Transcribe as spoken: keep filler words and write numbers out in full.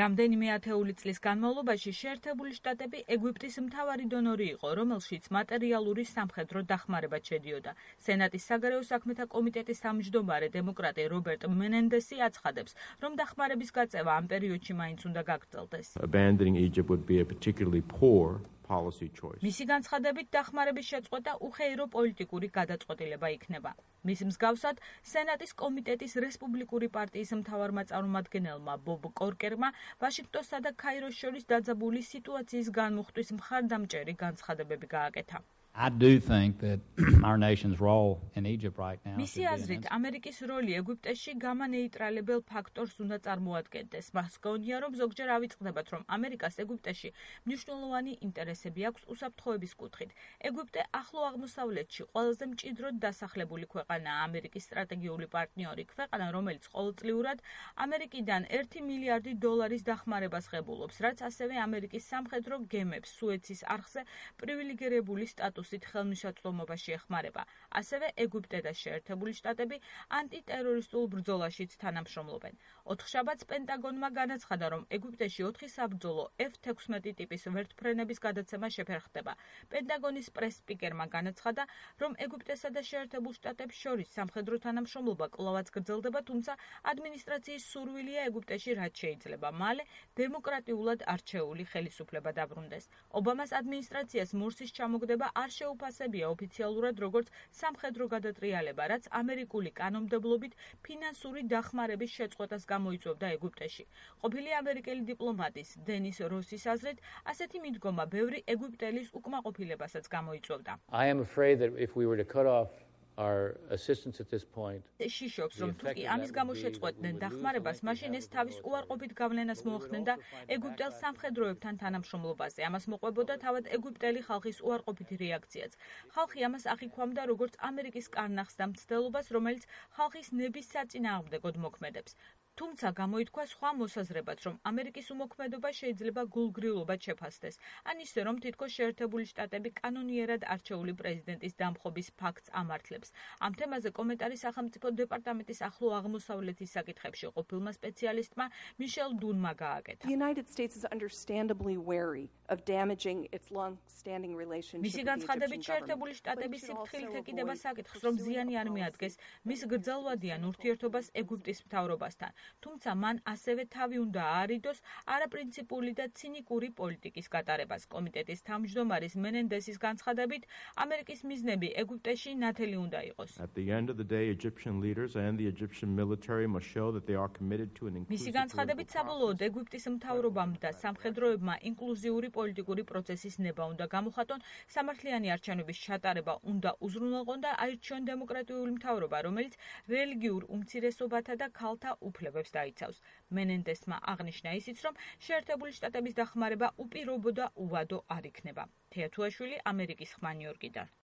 რამდენიმე ათეული წლის განმავლობაში შეერთებული შტატები ეგვიპტის მთავარი დონორი იყო, რომელშიც მატერიალური სამხედრო დახმარება შედიოდა. სენატის საგარეო საქმეთა კომიტეტის თავმჯდომარე დემოკრატი რობერტ მენენდესი აცხადებს, რომ დახმარების გაწევა ამ პერიოდში მაინც უნდა გაგრძელდეს. მისი განცხადებით, დახმარების შეწყვეტა უხეირო პოლიტიკური გადაწყვეტილება იქნება. მის მსგავსად, სენატის კომიტეტის რესპუბლიკური პარტიის მთავარმა წარმომადგენელმა ბობ კორკერმა ვაშინგტონსა და ქაიროს შორის დაძაბული სიტუაციის განმუხტვის მხარდამჭერი განცხადებები გააკეთა. I do think that our nation's role in Egypt right now. მისი აზრით, ამერიკის როლი ეგვიპტეში გამანეიტრალებელ ფაქტორს უნდა წარმოადგენდეს. მას გონია, რომ ზოგჯერ ავიწყდებათ, რომ ამერიკას ეგვიპტეში მნიშვნელოვანი ინტერესები აქვს უსაფრთხოების კუთხით. ეგვიპტე ახლო აღმოსავლეთში ყველაზე მჭიდროდ დასახლებული ქვეყანაა, ამერიკის სტრატეგიული პარტნიორი, ქვეყანა, რომელიც ყოველწლიურად ამერიკიდან ერთი მილიარდი დოლარის დახმარებას ღებულობს, რაც ასევე ამერიკის სამხედრო გემებს სუეცის არხზე პრივილეგირებული სტატუსით ხელმისაწვდომობაში ეხმარება. ასევე ეგვიპტე და შეერთებული შტატები ანტიტერორისტულ ბრძოლაშიც თანამშრომლობენ. ოთხშაბათს პენტაგონმა განაცხადა, რომ ეგვიპტეში ოთხი საბრძოლო ეფ თექვსმეტი ტიპის ვერტმფრენების გადაცემა შეფერხდება. პენტაგონის პრეს-სპიკერმა განაცხადა, რომ ეგვიპტესა და შეერთებულ შტატებს შორის სამხედრო თანამშრომლობა კვლავაც გრძელდება, თუმცა ადმინისტრაციის სურვილია ეგვიპტეში რაც შეიძლება მალე დემოკრატიულად არჩეული ხელისუფლება დაბრუნდეს. ობამას ადმინისტრაციას მორსის ჩამოგდება არ შეუფასებია ოფიციალურად როგორც სამხედრო გადატრიალება, რაც ამერიკული კანონმდებლობით ფინანსური დახმარების შეწყვეტას გამოიწვევდა ეგვიპტეში. ყოფილი ამერიკელი დიპლომატის დენის როსის აზრით, ასეთი მიდგომა ბევრი ეგვიპტელის უკმაყოფილებასაც გამოიწვევდა. I am afraid that if we were to cut off our assistance at this point. შიშობს, რომ თუ კი ამის გამო შეწყვეტდნენ დახმარებას, მაშინ ეს თავის უარყოფით გავლენას მოახდენდა ეგვიპტელ სამხედროებთან თანამშრომლობაზე. ამას მოყვებოდა თავად ეგვიპტელი ხალხის უარყოფითი რეაქციაც. ხალხი ამას აღიქვამდა როგორც ამერიკის კარნახს და მცდელობას, რომელიც ხალხის ნების საწინააღმდეგოდ მოქმედებს. თუმცა გამოითქვა სხვა მოსაზრებაც, რომ ამერიკის უმოქმედობა შეიძლება გულგრილობად შეფასდეს, ან ისე, რომ თითქოს შეერთებული შტატები კანონიერად არჩეული პრეზიდენტის დამხობის ფაქტს ამართლებს. ამ თემაზე კომენტარი სახელმწიფო დეპარტამენტის ახლო აღმოსავლეთის საკითხებში ყოფილმა სპეციალისტმა მიშელ დუნმა გააკეთა. მისი განცხადებით, შეერთებული შტატები სიფრთხილით ეკიდება საკითხს, რომ ზიანი არ მიადგეს მის გრძელვადიან ურთიერთობას ეგვიპტის მთავრობასთან. თუმცა მან ასევე თავი უნდა აარიდოს არაპრინციპული და ცინიკური პოლიტიკის გატარებას. კომიტეტის თავმჯდომარის მენენდესის განცხადებით, ამერიკის მიზნები ეგვიპტეში ნათელი უნდა იყოს. მისი განცხადებით, საბოლოოდ ეგვიპტის მთავრობამ და სამხედროებმა ინკლუზიური პოლიტიკური პროცესის ნება უნდა გამოხატონ, სამართლიანი არჩევნების ჩატარება უნდა უზრუნველყონ და აირჩიონ დემოკრატიული მთავრობა, რომელიც რელიგიურ უმცირესობათა და ქალთა უფლებებს დაიცავს. მენენდესმა აღნიშნა ისიც, რომ შეერთებული შტატების დახმარება უპირობო და უვადო არ იქნება. თეათუაშვილი, ამერიკის ხმა, ნიუ-იორკიდან.